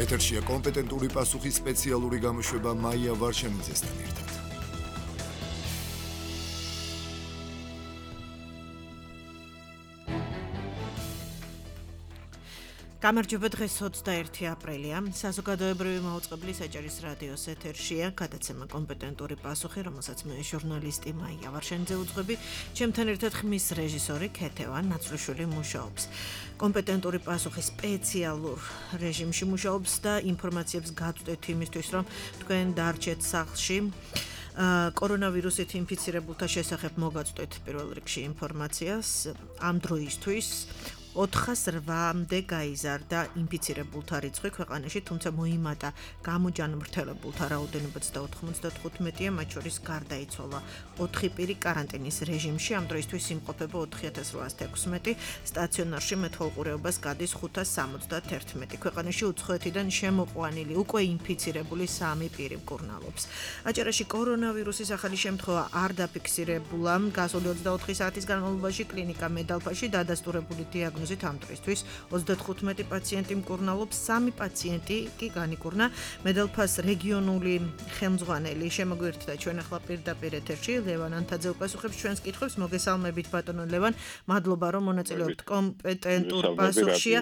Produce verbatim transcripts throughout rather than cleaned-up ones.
ეთერშია კომპეტენტური პასუხის სპეციალური გამოშვება მაია ვარშანიძესთან ერთად. გამარჯობა, დღეს ოცდაერთი აპრილია. საზოგადოებრივი მაუწყებლის ეჭერის რადიოს ეთერშია გადაცემა კომპეტენტური პასუხი, რომელსაც მე ჟურნალისტი მაია ვარშანიძე უძღვები. ჩემთან ერთად ხმის რეჟისორი ქეთევან ნაცვლიშვილი მუშაობს. კომპეტენტური პასუხი სპეციალურ რეჟიმში მუშაობს და ინფორმაციებს გაწვდეთ იმისთვის, რომ თქვენ დარჩეთ სახლში. კორონავირუსით ინფიცირებულთა შესახებ მოგაწვდეთ პირველ რიგში ინფორმაციას ამ დროისთვის. ოთხას რვამდე გაიზარდა ინფიცირებულთა რიცხვი ქვეყანაში, თუმცა მოიმატა გამოჯანმრთელებულთა რაოდენობაც და ოთხმოცდათხუთმეტია, მათ შორის გარდაიცვალა ოთხი პირი კარანტინის რეჟიმში, ამ დროისთვის იმყოფება ოთხი ათას რვაას ათექვსმეტი, სტაციონარში მეთვალყურეობას გადის ხუთას სამოცდათერთმეტი. ქვეყანაში უცხოეთიდან შემოყვანილი უკვე ინფიცირებული სამი პირი მკურნალობს. აჭარაში კორონავირუსის ახალი შემთხვევა არ დაფიქსირებულა, გასული ოცდაოთხი საათის განმავლობაში კლინიკა მედალფაში დადასტურებული დიაგნოზით ამ დროისთვის ოცდათხუთმეტი პაციენტი მკურნალობს, სამი პაციენტი კი განიკურნა. მედალფას რეგიონული ხელმძღვანელი შემოგვიერთდა ჩვენ ახლა პირდაპირ ეთერში. ლევან ანთაძე უპასუხებს ჩვენს კითხვებს. მოგესალმებით ბატონო ლევან, მადლობა რომ მონაწილეობთ კომპეტენტურ პასუხშია.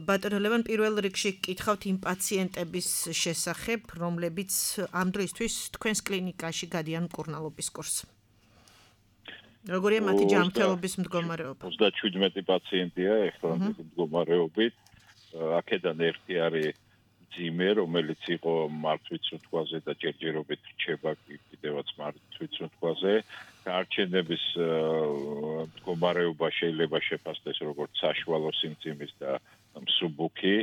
ბატონო ლევან, პირველ რიგში გკითხავთ იმ პაციენტების შესახებ, რომლებიც ამ დროისთვის თქვენს კლინიკაში გადიან მკურნალობის კურსს. როგორია მათი ჯანმრთელობის მდგომარეობა? ოცდაშვიდმეტი პაციენტია ეხლანდელი მდგომარეობით. აქედან ერთი არის ძიმე, რომელიც იყო მართვიცუთქვაზე და ჯერჯერობით რჩება კიდევაც მართვიცუთქვაზე. გაარჩენების მდგომარეობა შეიძლება შეფასდეს როგორც საშუალო სიმძიმის და მსუბუქი.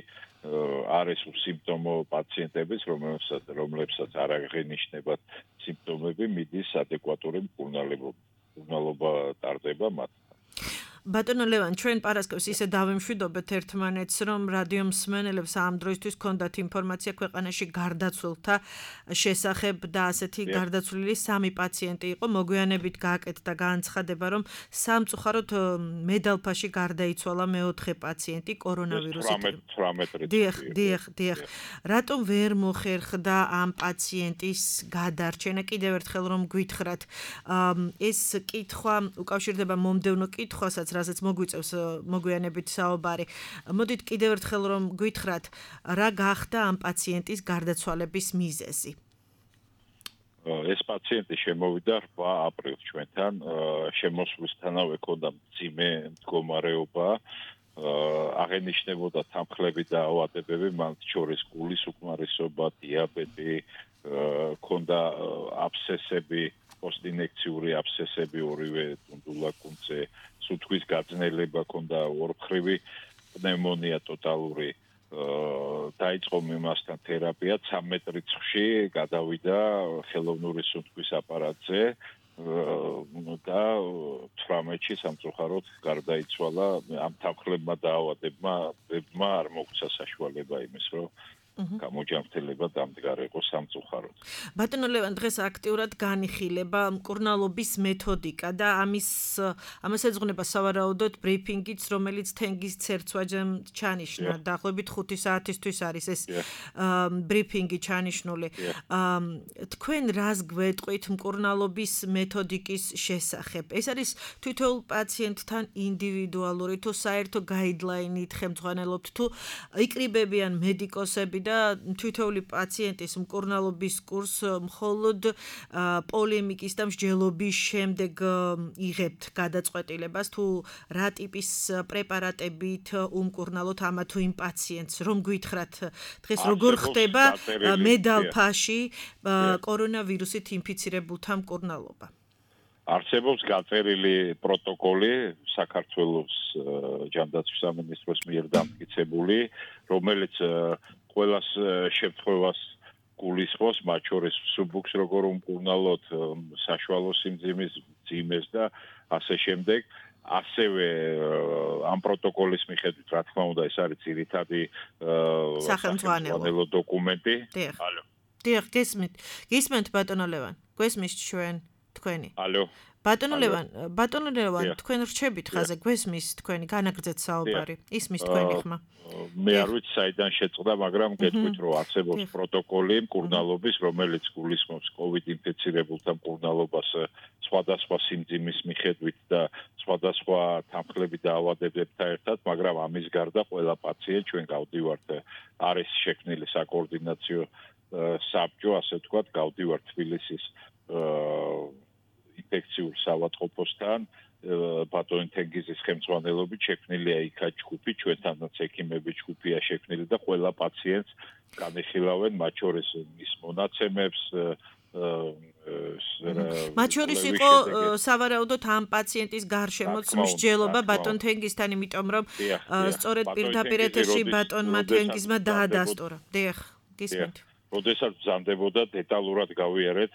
არის სიმპტომო პაციენტების, რომლებსაც რომლებსაც არ აღენიშნებათ სიმპტომები, მიდის ადეკვატური მკურნალობა. მკურნალობა ტარდება მათ. ბატონო ლევან, ჩვენ პარასკევს ისე დავემშვიდობეთ ერთმანეთს, რომ რადიო მსმენელებს ამ დროისთვის ჰქონდათ ინფორმაცია ქვეყანაში გარდაცვლილთა შესახებ და ასეთი გარდაცვლილი სამი პაციენტი იყო. მოგვიანებით გააკეთდა განცხადება, რომ სამწუხაროდ მედალფაში გარდაიცვალა მეოთხე პაციენტი კორონავირუსით. დიახ, დიახ, დიახ. რატომ ვერ მოხერხდა ამ პაციენტის გადარჩენა? კიდევ ერთხელ რომ გვითხრათ, ეს კითხვა უკავშირდება მომდევნო კითხვასაც, რასაც მოგვიწევს მოგვიანებით საუბარი. მოდით კიდევ ერთხელ რომ გვითხრათ, რა გახდა ამ პაციენტის გარდაცვალების მიზეზი? ეს პაციენტი შემოვიდა რვა აპრილს ჩვენთან, შემოსვლისთანავე ჰქონდა მძიმე მდგომარეობა, აღენიშნებოდა თანხლები და ავადებები, მათ შორის გულის უკმარისობა, დიაბეტი, ჰქონდა აბსესები, პოსტინექციური აბსესები ორივე ტუნდულაკუნძზე, სუნთქვის გაძნელება ჰქონდა ორმხრივი პნევმონია ტოტალური. დაიწყო მიმასთან თერაპია, ცამეტ რიცხვში გადავიდა ხელოვნური სუნთქვის აპარატზე და თვრამეტში სამწუხაროდ გარდაიცვალა. ამ თანხლებმა და ავადებმა არ მოგვცა საშუალება იმის, რომ გამოჯანმრთელება დამდგარიყო სამწუხაროდ. ბატონო ლევან, დღეს აქტიურად განიხილება მკურნალობის მეთოდიკა და ამის ამას ეძღვნება სავარაუდოდ ბრიფინგიც, რომელიც თენგის ცერცვაჯემ ჩანიშნა. დაახლოებით ხუთი საათისთვის არის ეს ბრიფინგი ჩანიშნული. თქვენ რას გვეტყვით მკურნალობის მეთოდიკის შესახებ? ეს არის თითოეულ პაციენტთან ინდივიდუალური, თუ საერთო გაიდლაინით ხელმძღვანელობთ, თუ იკრიბებიან მედიკოსები და თითოეული პაციენტის მკურნალობის კურსს მხოლოდ პოლემიკის და მსჯელობის შემდეგ იღებთ გადაწყვეტილებას, თუ რა ტიპის პრეპარატებით უმკურნალოთ ამა თუ იმ პაციენტს, რომ გვითხრათ დღეს როგორ ხდება მედალფაში კორონავირუსით ინფიცირებულთა მკურნალობა? არსებობს გაწერილი პროტოკოლი საქართველოს ჯანდაცვის სამინისტროს მიერ დამტკიცებული, რომელიც ყველას შემთხვევას გულისხმობს, მათ შორის მსუბუქს როგორ უმკურნალოთ, საშუალო სიმძიმის, მძიმეს და ასე შემდეგ. ასევე ამ პროტოკოლის მიხედვით, რა თქმა უნდა, ეს არის ძირითადი სახელმძღვანელო დოკუმენტი. ალო. დიახ, გესმით. გესმით ბატონო ლევან. გესმით ჩვენ თქვენი. ალო. ბატონო ლევან, ბატონო ლევან, თქვენ რჩებით ხაზე, გვესმის თქვენი განაგრძეთ საუბარი. ისმის თქვენი ხმა. მე არ ვიცი საიდან შეწყდა, მაგრამ გეტყვით რომ არსებობს პროტოკოლი მკურნალობის, რომელიც გულისხმობს COVID ინფიცირებულთა მკურნალობას სხვადასხვა სიმძიმის მიხედვით და სხვადასხვა თანხლებით და ავადებებთან ერთად, მაგრამ ამის გარდა ყველა პაციენტ ჩვენ გავდივართ არის შექმნილი საკოორდინაციო საბჭო, ასე ვთქვათ, გავდივართ თბილისის ინფექციურ საავადმყოფოსთან ბატონ თენგიზის ხელმძღვანელობით შექმნილია იქა ჯგუფი, ჩვენთანაც ექიმები ჯგუფია შექმნილი და ყველა პაციენტს განეხილავენ, მათ შორის მის მონაცემებს მათ შორის იყო სავარაუდოდ ამ პაციენტის გარშემოც მსჯელობა ბატონ თენგიზთან, იმიტომ რომ სწორედ პირდაპირ ეთერში ბატონმა თენგიზმა დაადასტურა. დიახ, გისმენთ. როდესაც ბრძანდებოდა დეტალურად გავიარეთ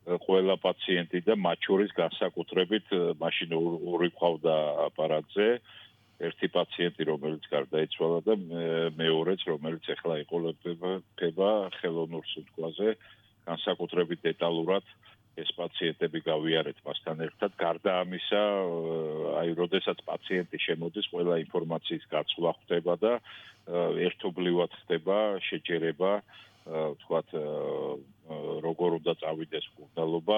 ყველა პაციენტი და მათ შორის განსაკუთრებით მაშინ ორი ყავდა აპარატზე, ერთი პაციენტი რომელიც გარდაიცვალა და მეორეც რომელიც ახლა იყოლება ხელოვნურ სუნთქვაზე, განსაკუთრებით დეტალურად ეს პაციენტები გავიარეთ მასთან ერთად. გარდა ამისა, აი როდესაც პაციენტი შემოდის, ყველა ინფორმაციის გაცვლა ხდება და ერთობლივად ხდება შეჯერება, ვთქვათ, როგორ უნდა წავიდეს მკურნალობა,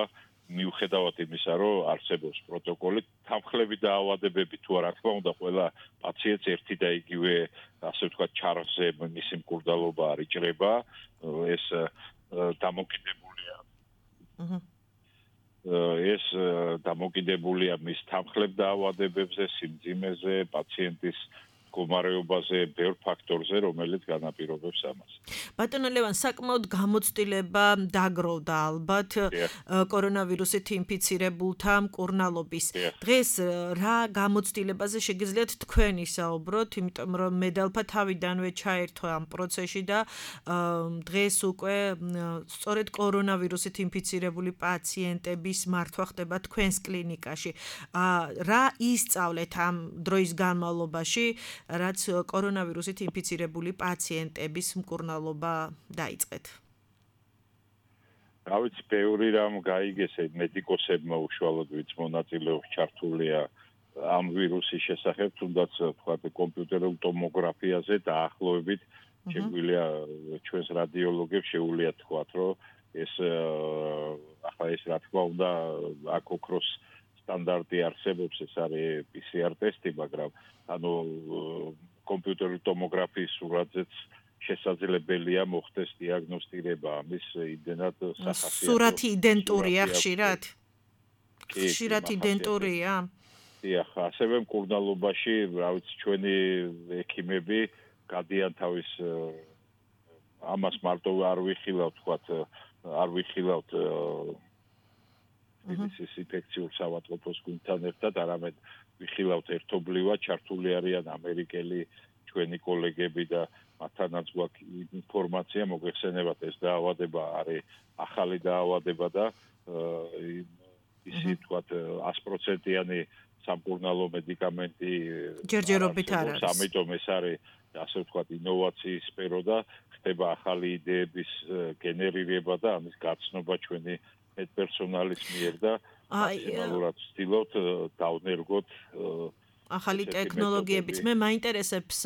მიუხედავად იმისა, რომ არსებობს პროტოკოლი, თანხლები და ავადებები თუ არა, თქმა უნდა, ყველა პაციენტს ერთი და იგივე, ასე ვთქვათ, ჩარხზე მისი მკურნალობა არ იჭრება, ეს დამოკიდებულია. ეს დამოკიდებულია მის თანხლებ და ავადებებზე, სიმძიმეზე, პაციენტის მდგომარეობაზე, ბევრ ფაქტორზე, რომელიც განაპირობებს ამას. ბატონო ლევან, საკმაოდ გამოცდილება დაგროვდა ალბათ კორონავირუსით ინფიცირებულთა მკურნალობის. დღეს რა გამოცდილებაზე შეგიძლიათ თქვენ ისაუბროთ, იმიტომ რომ მე დალფა თავიდანვე ჩაერთვა ამ პროცესში და დღეს უკვე სწორედ კორონავირუსით ინფიცირებული პაციენტების მართვა ხდება თქვენს კლინიკაში. რა ისწავლეთ ამ დროის განმავლობაში, რაც კორონავირუსით ინფიცირებული პაციენტების მკურნალობა დაიწყეთ. რა ვიცი, ბევრი რამ გაიგეს მედიკოსებმა უშუალოდ ვინც მონაწილეობს ჩართულია ამ ვირუსის შესახებ, თუნდაც ვთქვათ კომპიუტერულ ტომოგრაფიაზე დაახლოებით შეგვიძლია ჩვენს რადიოლოგებს შეუძლიათ თქვათ, რომ ეს ახლა ეს რა თქმა უნდა აქ ოქროს სტანდარტი არსებობს, ეს არის პი სი არ ტესტი, მაგრამ ანუ კომპიუტერული ტომოგრაფიის სურათზეც შესაძლებელია მოხდეს დიაგნოსტირება ამის იმდენად სახასიათო. სურათი იდენტურია ხშირად? ხშირად იდენტურია? დიახ, ასევე მკურნალობაში, რა ვიცი, ჩვენი ექიმები გადიან თავის ამას მარტო არ ვიხილავთ, თქვათ, არ ვიხილავთ ის ინფექციურ საავადმყოფოს გუნდთან ერთად, არამედ ვიხილავთ ერთობლივად, ჩართული არიან ამერიკელი ჩვენი კოლეგები და მათთანაც გვაქვს ინფორმაცია, მოგეხსენებათ, ეს დაავადება არის ახალი დაავადება და ისი თქვათ sto პროცენტიანი სამკურნალო მედიკამენტი ჯერჯერობით არ არის. ამიტომ ეს არის ასე ვთქვათ ინოვაციის სფერო და ხდება ახალი იდეების გენერირება და ამის გაცნობა ჩვენი პერსონალის მიერ და მაქსიმალურად ვცდილობთ დავნერგოთ ახალი ტექნოლოგიებიც. მე მაინტერესებს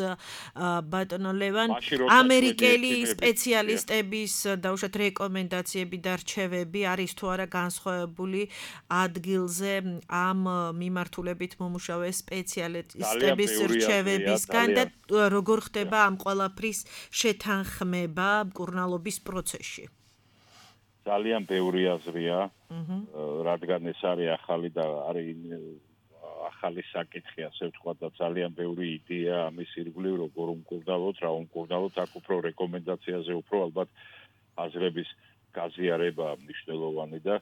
ბატონო ლევან, ამერიკელი სპეციალისტების დაუშვათ რეკომენდაციები და რჩევები არის თუ არა განსხვავებული ადგილზე ამ მიმართულებით მომუშავე სპეციალისტების რჩევებისგან და როგორ ხდება ამ ყველაფრის შეთანხმება მკურნალობის პროცესში? ძალიან ბევრი აზრია, რადგან ეს არის ახალი და არის ახალი საკითხი, ასე ვთქვათ, და ძალიან ბევრი იდეა ამის ირგვლივ, როგორ უმკურნალოთ, რა უმკურნალოთ, აქ უფრო რეკომენდაციაზე უფრო ალბათ აზრების გაზიარება მნიშვნელოვანი და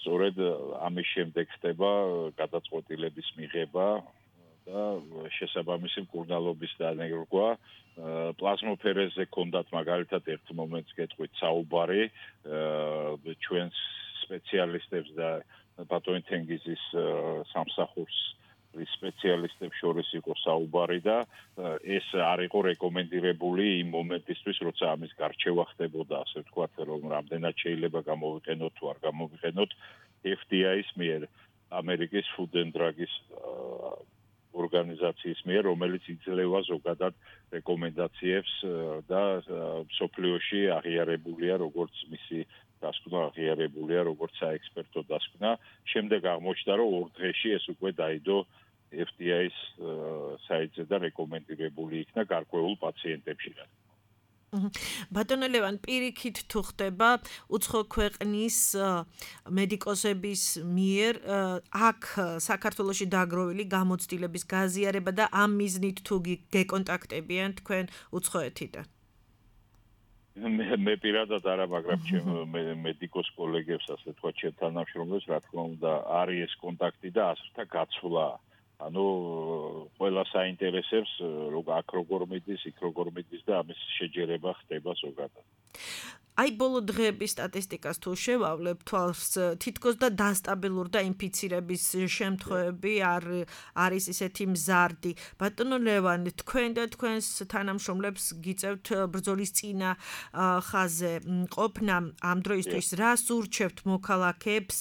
სწორედ ამის შემდეგ ხდება გადაწყვეტილების მიღება და შესაბამისი მკურნალობის დანერგვა. პლაზმოფერეზე კონდათ მაგალითად ერთ მომენტს გეტყვით საუბარი ჩვენს სპეციალისტებს და ბატონ თენგიზის სამსახურს სპეციალისტებს შორის იყო საუბარი და ეს არ იყო რეკომენდირებული იმ მომენტისთვის, როცა ამის გარჩევა ხდებოდა, ასე ვთქვათ, რომ რამდენად შეიძლება გამოვიყენოთ თუ არ გამოვიყენოთ ეფ დი აის მიერ. ამერიკის Food and Drug-ის ორგანიზაციის მიერ, რომელიც იძლევა ზოგადად რეკომენდაციებს და სოფლიოში აღიარებულია როგორც მისი დასკვნა აღიარებულია როგორც საექსპერტო დასკვნა. შემდეგ აღმოჩნდა, რომ ორ დღეში ეს უკვე დაიდო F D A-ის საიტზე და რეკომენდირებული იქნა გარკვეულ პაციენტებში. ბატონო ლევან, პირიქით თუ ხდება უცხო ქვეყნის მედიკოსების მიერ აქ საქართველოში დაგროვილი გამოცდილების გაზიარება და ამ მიზნით თუ გეკონტაქტებიან თქვენ უცხოეთიდან? მე პირადად არა, მაგრამ ჩემ მედიკოს კოლეგებს, ასე თქვა, ჩემ თანამშრომლებს, რა თქმა უნდა, არის ეს კონტაქტი და აზრთა გაცვლა. ანუ ყველა საინტერესებს, როგორ აქ როგორ მიდის, იქ როგორ მიდის და ამის შეჯერება ხდება ზოგადად. აი ბოლო დღეების სტატისტიკას თუ შევავლებ თვალს, თითქოს და დასტაბილურდა ინფიცირების შემთხვევები არ არის ისეთი მზარდი. ბატონო ლევან, თქვენ და თქვენს თანამშრომლებს გიწევთ ბრძოლის წინა ხაზზე ყოფნა ამ დროისთვის რას ურჩევთ მოქალაქეებს,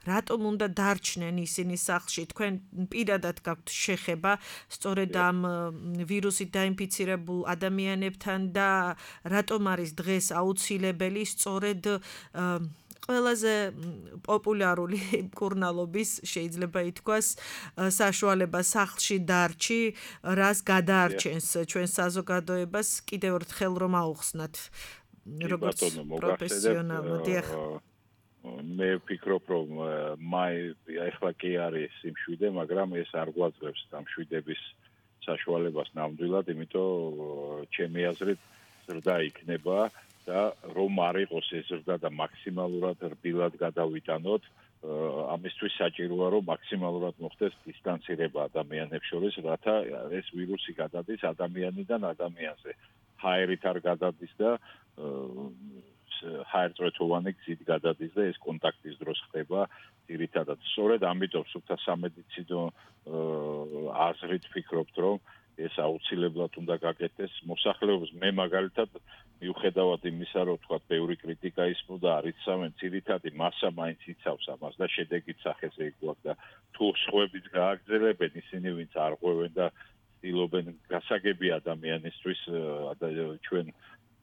რატომ უნდა დარჩნენ ისინი სახლში? თქვენ პირადად გაქვთ შეხება სწორედ ამ ვირუსით დაინფიცირებულ ადამიანებთან და რატომ არის დღეს აუცილებელი სწორედ ყველაზე პოპულარული მკურნალობის შეიძლება ითქვას საშუალება სახლში დარჩი, რას გადაარჩენს ჩვენ საზოგადოებას კიდევ ერთხელ რომ აუხსნათ როგორც პროფესიონალმა. დიახ. მე ვფიქრობ, რომ მაი ახლა კი არის სიმშვიდე, მაგრამ ეს არ გვაძლევს დამშვიდების საშუალებას ნამდვილად, იმიტომ ჩემი აზრით ზრდა იქნება და რომ არ იყოს ეს ზრდა და მაქსიმალურად რბილად გადავიტანოთ, ამისთვის საჭიროა რომ მაქსიმალურად მოხდეს დისტანცირება ადამიანებს შორის, რათა ეს ვირუსი გადადის ადამიანიდან ადამიანზე. ჰაერით არ გადადის და ჰაერწვეთოვანი გზით გადადის და ეს კონტაქტის დროს ხდება ძირითადად. სწორედ ამიტომ სულთა სამედიცინო აზრით ვფიქრობთ, რომ ეს აუცილებლად უნდა გაკეთდეს მოსახლეობის. მე მაგალითად მიუხედავად იმისა, რომ თქვა ბევრი კრიტიკა ისმოდა არიცავენ, ძირითადი მასა მაინც იცავს ამას და შედეგით სახეზე იყვაქვს და თუ სხვების გააგრძელებენ ისინი, ვინც არ ღვევენ და ცდილობენ გასაგები ადამიანისთვის, ჩვენ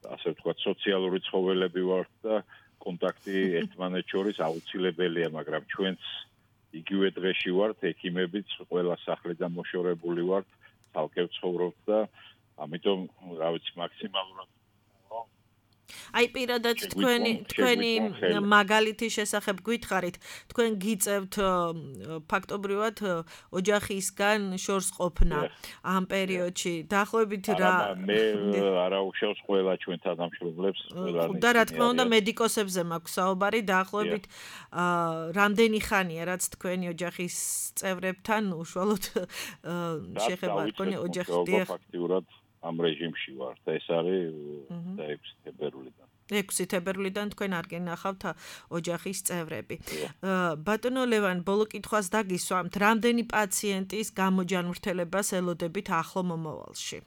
ასე ვთქვათ, სოციალური ცხოველები ვართ და კონტაქტი ერთმანეთს შორის აუცილებელია, მაგრამ ჩვენც იგივე დღეში ვართ, ექიმებიც ყველა სახლიდან მოშორებული ვართ, ცალკე ვცხოვრობთ და ამიტომ რა ვიცი მაქსიმალურად აი პირადად თქვენი თქვენი მაგალითის შესახებ გითხარით, თქვენ გიწევთ ფაქტობრივად ოჯახისგან შორს ყოფნა ამ პერიოდში. დაახლოებით რა მე არა უშავს ყველა ჩვენ თანამშრომლებს, ყველანი და რა თქმა უნდა მედიკოსებზე მაქვს საუბარი, დაახლოებით რამდენი ხანია რაც თქვენი ოჯახის წევრებთან უშუალოდ შეხება თქვენი ოჯახის ფაქტიურად ამ რეჟიმში ვარ და ეს არის ექვსი თებერვლიდან. ექვსი თებერვლიდან თქვენ არ გენახავთ ოჯახის წევრები. ბატონო ლევან, ბოლო კითხვას დაგისვამთ, რამდენი პაციენტის გამოჯანმრთელებას ელოდებით ახლო მომავალში?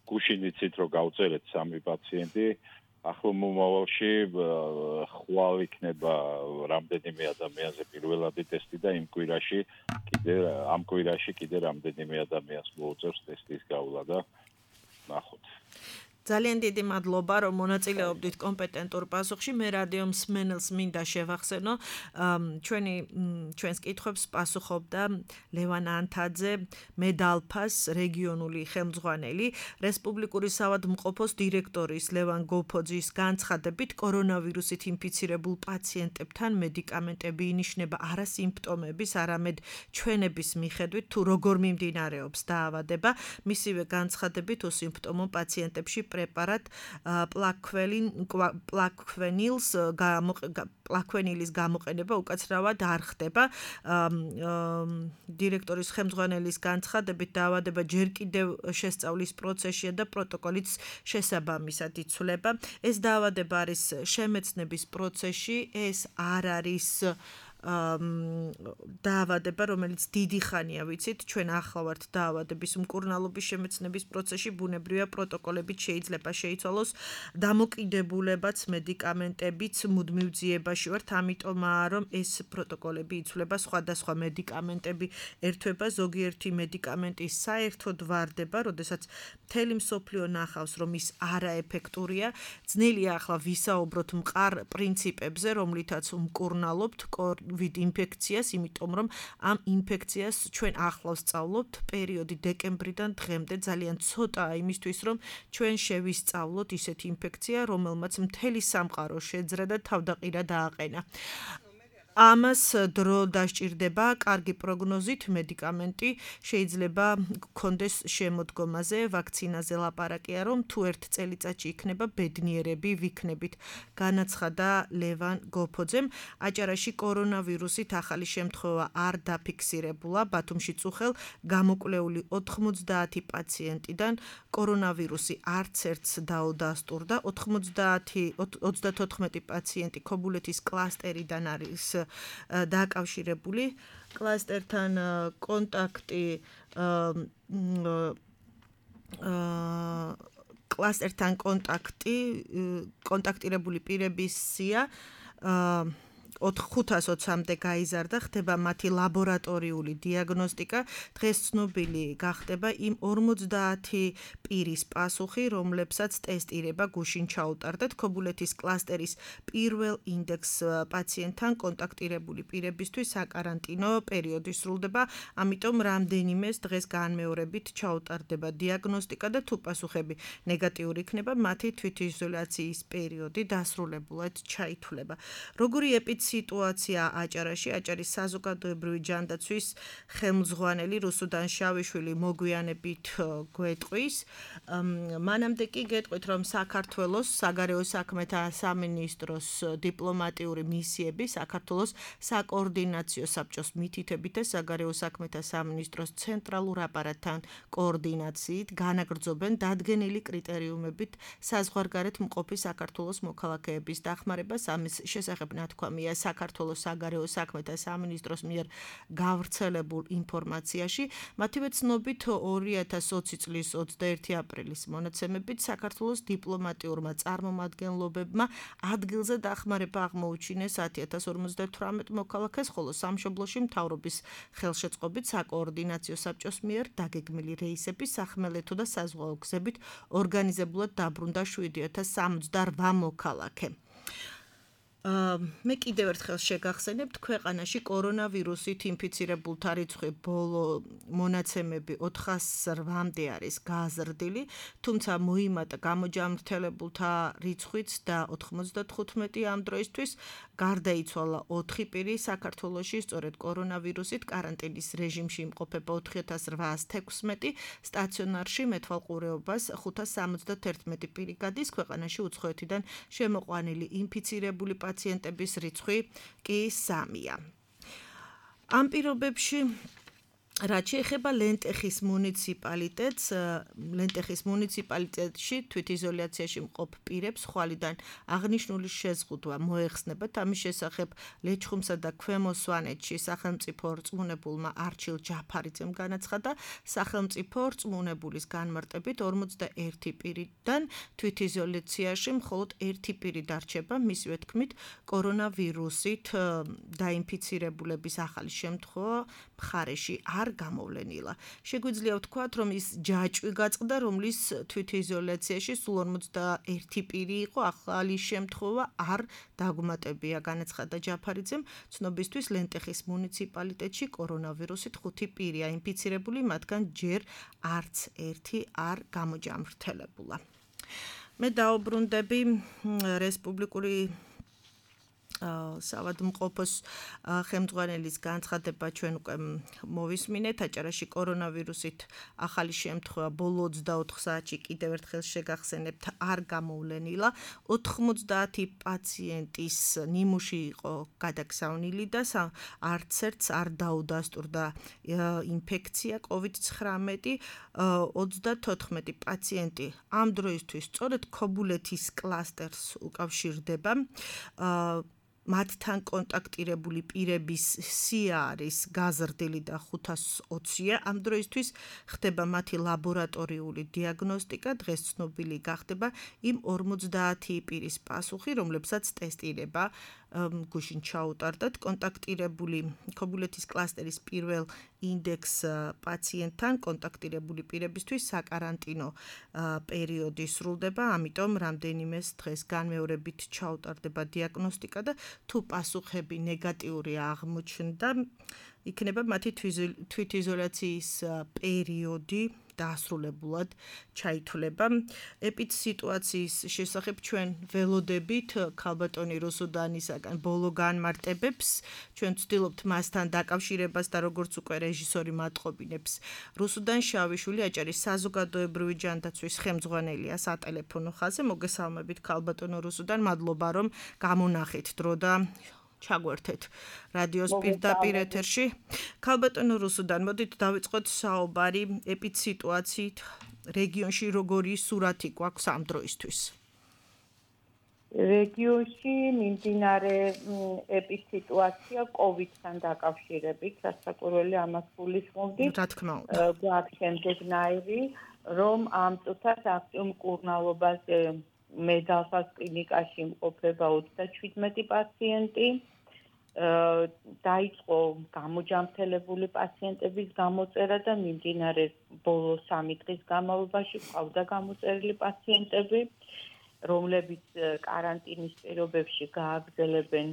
გუშინ იცით რომ გავწერეთ სამი პაციენტი, ახლო მომავალში ხვალ იქნება რამდენიმე ადამიანზე პირველადი ტესტი და იმ კვირაში კიდე ამ კვირაში კიდე რამდენიმე ადამიანს მოუწევს ტესტის გავლა და ნახოთ. ძალიან დიდი მადლობა რომ მონაწილეობდით კომპეტენტურ პასუხში. მე რადიო მსმენელს მინდა შევახსენო, ჩვენი ჩვენს კითხვებს პასუხობდა ლევან ანთაძე, მედალფას რეგიონული ხელმძღვანელი, რესპუბლიკური საავადმყოფოს დირექტორის ლევან გოფოძის განცხადებით, კორონავირუსით ინფიცირებულ პაციენტებთან მედიკამენტები ინიშნება არა სიმპტომების, არამედ ჩვენების მიხედვით, თუ როგორ მიმდინარეობს დაავადება. მისივე განცხადებით უსიმპტომო პაციენტებში პრეპარატ პლაქვენილს პლაქვენილს პლაქვენილის გამოყენება უკაცრავად არ ხდება. დირექტორის ხელმძღვანელის განცხადებით დაავადება ჯერ კიდევ შესწავლის პროცესშია და პროტოკოლიც შესაბამისად იცვლება. ეს დაავადება არის შემეცნების პროცესში, ეს არ არის დაავადება, რომელიც დიდი ხანია ვიცით, ჩვენ ახლა ვართ დაავადების მკურნალობის შემეცნების პროცესში, ბუნებრივია პროტოკოლებით შეიძლება შეიცვალოს დამოკიდებულებაც მედიკამენტებიც მუდმივ ძიებაში ვართ, ამიტომაა რომ ეს პროტოკოლები იცვლება სხვადასხვა მედიკამენტები ერთვება ზოგიერთი მედიკამენტი საერთოდ ვარდება, როდესაც მთელი მსოფლიო ნახავს რომ ის არაეფექტურია, ძნელია ახლა ვისაუბროთ მყარ პრინციპებზე, რომლითაც მკურნალობთ კოვიდ ინფექციას, იმიტომ რომ ამ ინფექციას ჩვენ ახლა ვსწავლობთ პერიოდი დეკემბრიდან დღემდე ძალიან ცოტაა იმისთვის რომ ჩვენ შევისწავლოთ ისეთი ინფექცია, რომელმაც მთელი სამყარო შეძრა და თავდაყირა დააყენა. ამას დრო დასჭირდება კარგი პროგნოზით მედიკამენტი შეიძლება გქონდეს შემოდგომაზე ვაქცინაზე ლაპარაკია რომ თუ ერთ წელიწადში იქნება ბედნიერები ვიქნებით განაცხადა ლევან გოფოძემ აჭარაში კორონავირუსით ახალი შემთხვევა არ დაფიქსირებულა ბათუმში წუხელ გამოკვლეული ოთხმოცდაათი პაციენტიდან კორონავირუსი არც ერთს დაუდასტურდა ოცდათოთხმეტი პაციენტი ქობულეთის კლასტერიდან არის დაკავშირებული კლასტერთან კონტაქტი კლასტერთან კონტაქტი კონტაქტირებული პირების სია ხუთას ოცამდე გაიზარდა, ხდება მათი ლაბორატორიული დიაგნოსტიკა, დღეს ცნობილი გახდება იმ ორმოცდაათი პირის პასუხი, რომლებსაც ტესტირება გუშინ ჩაუტარდათ ქობულეთის კლასტერის პირველ ინდექს პაციენტთან კონტაქტირებული პირებისთვის საკარანტინო პერიოდი სრულდება, ამიტომ რამდენიმეს დღეს განმეორებით ჩაუტარდება დიაგნოსტიკა და თუ პასუხები ნეგატიური იქნება, მათი თვითიზოლაციის პერიოდი დასრულებულად ჩაითვლება. როგორი ეპიცენტრია სიტუაცია აჭარაში, აჭარის საზოგადოებრივი ჯანდაცვის ხელმძღვანელი რუსუდან შავიშვილი მოგვიანებით გვეტყვის. მანამდე კი გეტყვით, რომ საქართველოს საგარეო საქმეთა სამინისტროს დიპლომატიური მისიები საქართველოს საკოორდინაციო საბჭოს მითითებით და საგარეო საქმეთა სამინისტროს ცენტრალურ აპარატთან კოორდინაციით განაგრძობენ დადგენილი კრიტერიუმებით საზღვარგარეთ მყოფი საქართველოს მოქალაქეების დახმარებას. ამის შესახებ ნათქვამია საქართველოს საგარეო საქმეთა სამინისტროს მიერ გავრცელებულ ინფორმაციაში. მათივე ცნობით ორი ათას ოცი წლის ოცდაერთი აპრილის მონაცემებით საქართველოს დიპლომატიურმა წარმომადგენლობებმა ადგილზე დახმარება აღმოუჩინეს ათი ათას ორმოცდათვრამეტ მოქალაქეს, ხოლო სამშობლოში მთავრობის ხელშეწყობით საკოორდინაციო საბჭოს მიერ დაგეგმილი რეისების სახმელეთო და საზღვაო გზებით ორგანიზებულად დაბრუნდა შვიდი ათას სამოცდარვა მოქალაქე. მე კიდევ ერთხელ შეგახსენებთ, ქვეყანაში კორონავირუსით ინფიცირებულთა რიცხვი ბოლო მონაცემები ოთხას რვამდე არის გაზრდილი, თუმცა მოიმატა გამოჯამრთელებულთა რიცხვიც და ოთხმოცდათხუთმეტი ამ დროისთვის გარდაიცვალა ოთხი პირი საქართველოში სწორედ კორონავირუსით კარანტინის რეჟიმში იმყოფება ოთხი ათას რვაას თექვსმეტი, სტაციონარში მეთვალყურეობას ხუთას სამოცდათერთმეტი პირი გადის, ქვეყანაში უცხოეთიდან შემოყვანილი ინფიცირებული პაციენტების რიცხვი კი სამია. ამ პირობებში რაც შეეხება ლენტეხის მუნიციპალიტეტს, ლენტეხის მუნიციპალიტეტში თვითიზოლაციაში მყოფ პირებს ხვალიდან აღნიშნული შეზღუდვა მოეხსნებათ. ამის შესახებ ლეჩხუმსა და ქვემო სვანეთში სახელმწიფო რწმუნებულმა არჩილ ჯაფარიძემ განაცხადა, სახელმწიფო რწმუნებულის განმარტებით ორმოცდაერთი პირიდან თვითიზოლაციაში მხოლოდ ერთი პირი დარჩება, მისივე თქმით, კორონავირუსით დაინფიცირებულების ახალი შემთხვევა მხარეში არ გამოვლენილა. შეგვიძლია ვთქვათ, რომ ის ჯაჭვი გაწყდა, რომლის თვითიზოლაციაში სულ ორმოცდაერთი პირი იყო, ახალი შემთხვევა არ დაგუმატებია, განაცხადა ჯაფარიძემ. ცნობისთვის ლენტეხის მუნიციპალიტეტში კორონავირუსით ხუთი პირია ინფიცირებული, მათგან ჯერ არც ერთი არ გამოჯამრთელებულა. მე დაუბრუნდები რესპუბლიკური სავადმყოფოს ხელმძღვანელის განცხადება ჩვენ უკვე მოვისმინეთ. აჭარაში კორონავირუსით ახალი შემთხვევა ბოლო ოცდაოთხ საათში კიდევ ერთხელ შეგახსენებთ არ გამოვლენილა. ოთხმოცდაათი პაციენტის ნიმუში იყო გადაგზავნილი და არც ერთს არ დაუდასტურდა ინფექცია კოვიდ ცხრამეტი. ოცდათოთხმეტი პაციენტი ამ დროისთვის სწორედ ქობულეთის კლასტერს უკავშირდება. მათთან კონტაქტირებული პირების სია არის გაზრდილი და ხუთას ოცია. ამ დროისთვის ხდება მათი ლაბორატორიული დიაგნოსტიკა, დღეს ცნობილი გახდება იმ ორმოცდაათი პირის პასუხი, რომლებსაც ტესტირება გუშინ ჩაუტარდათ. კონტაქტირებული ქობულეთის კლასტერის პირველ ინდექს პაციენტთან კონტაქტირებული პირებისთვის საკარანტინო პერიოდი სრულდება, ამიტომ რამდენიმეს დღეს განმეორებით ჩაუტარდება დიაგნოსტიკა და თუ პასუხები ნეგატიური აღმოჩნდა, იქნება მათი თვითიზოლაციის პერიოდი დაასრულებულად ჩაითვლება. ეპიდსიტუაციის შესახებ ჩვენ ველოდებით ქალბატონი რუსუდანისაგან ბოლო განმარტებებს, ჩვენ ვცდილობთ მასთან დაკავშირებას და როგორც უკვე რეჟისორი მატყობინებს, რუსუდან შავიშვილი აჭარის საზოგადოებრივი ჯანდაცვის ხელმძღვანელია სატელეფონო ხაზზე. მოგესალმებით ქალბატონო რუსუდან, მადლობა რომ გამონახეთ დრო და ჩაგვერთეთ რადიოს პირდაპირ ეთერში. ქალბატონო რუსუდან, მოდით დავიწყოთ საუბარი ეპიდსიტუაციით რეგიონში, როგორი სურათი გვაქვს ამ დროისთვის. რეგიონში მიმდინარე ეპიდსიტუაცია კოვიდთან დაკავშირებით, სასაკვირველი ამას გულისხმობთ. რა თქმა უნდა. გვაქვს შემდეგნაირი, რომ ამ წუთას აქტიურ მკურნალობაზე მედალსას კლინიკაში იმყოფება ოცდაჩვიდმეტი პაციენტი. დაიწყო გამოჯამრთელებული პაციენტების გამოწერა და მიმდინარე ბოლო სამი დღის განმავლობაში ყავდა გამოწერილი პაციენტები, რომლებიც კარანტინის პირობებში გააგრძელებენ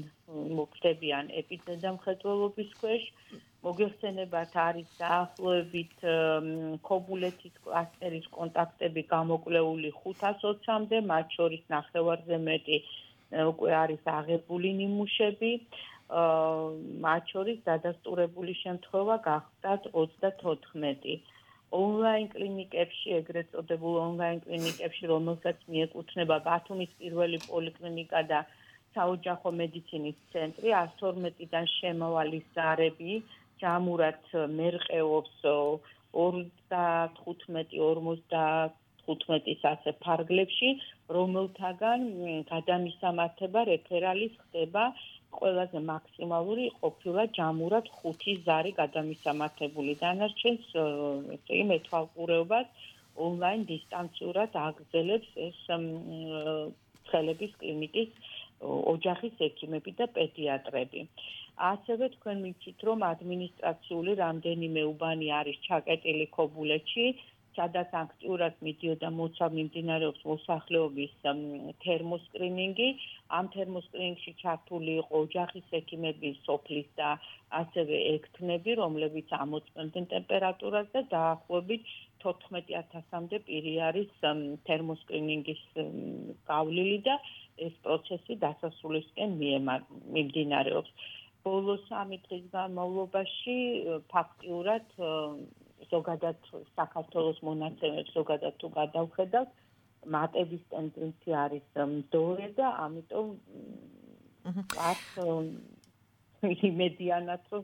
მოქმედებიან ეპიდემიოლოგიის ქვეშ. მოგეხსენებათ, არის დაახლოებით ქობულეთის კლასტერის კონტაქტები გამოკვლეული ხუთას ოცამდე, მათ შორის ნახევარზე მეტი უკვე არის აღებული ნიმუშები, მათ შორის დადასტურებული შემთხვევა გახდათ ოცდათოთხმეტი. ონლაინ კლინიკებში, ეგრეთ წოდებულ ონლაინ კლინიკებში, რომელსაც მიეკუთვნება ბათუმის პირველი პოლიკლინიკა და საოჯახო მედიცინის ცენტრი, ასი ორმეტიდან შემავალი ზარები ჯამურად მერყეობს ოცდათხუთმეტი ორმოცდათხუთმეტის ასე ფარგლებში, რომელთაგან გადამისამართება რეფერალის ხდება ყველაზე მაქსიმალური ყოფილა ჯამურად ხუთი ზარი გადამისამართებული. დანარჩენს ესე იგი მეთვალყურეობას ონლაინ დისტანციურად აგრძელებს ეს ცხელების კლინიკის ოჯახის ექიმები და პედიატრები. ასევე თქვენ მიცით, რომ ადმინისტრაციული რამდენიმე უბანი არის ჩაკეტილი ქობულეთში, სადაც აქტიურად მიდიოდა მოცავ მიმდინარეობს მოსახლეობის თერმოსკრინინგი. ამ თერმოსკრინინგში ჩართული იყო ოჯახის ექიმები, სოფლის და ასევე ექთნები, რომლებიც ამოწმებდნენ ტემპერატურას და დაახლოებით თოთხმეტი ათასამდე პირი არის თერმოსკრინინგის გავლილი და ეს პროცესი დასასრულისკენ მიმდინარეობს. ბოლო სამი დღის განმავლობაში ფაქტიურად ზოგადად საქართველოს მონაცემებს ზოგადად თუ გადავხედავთ, მატების ტენდენცია არის მდორე და ამიტომ აქ იმედიანად რომ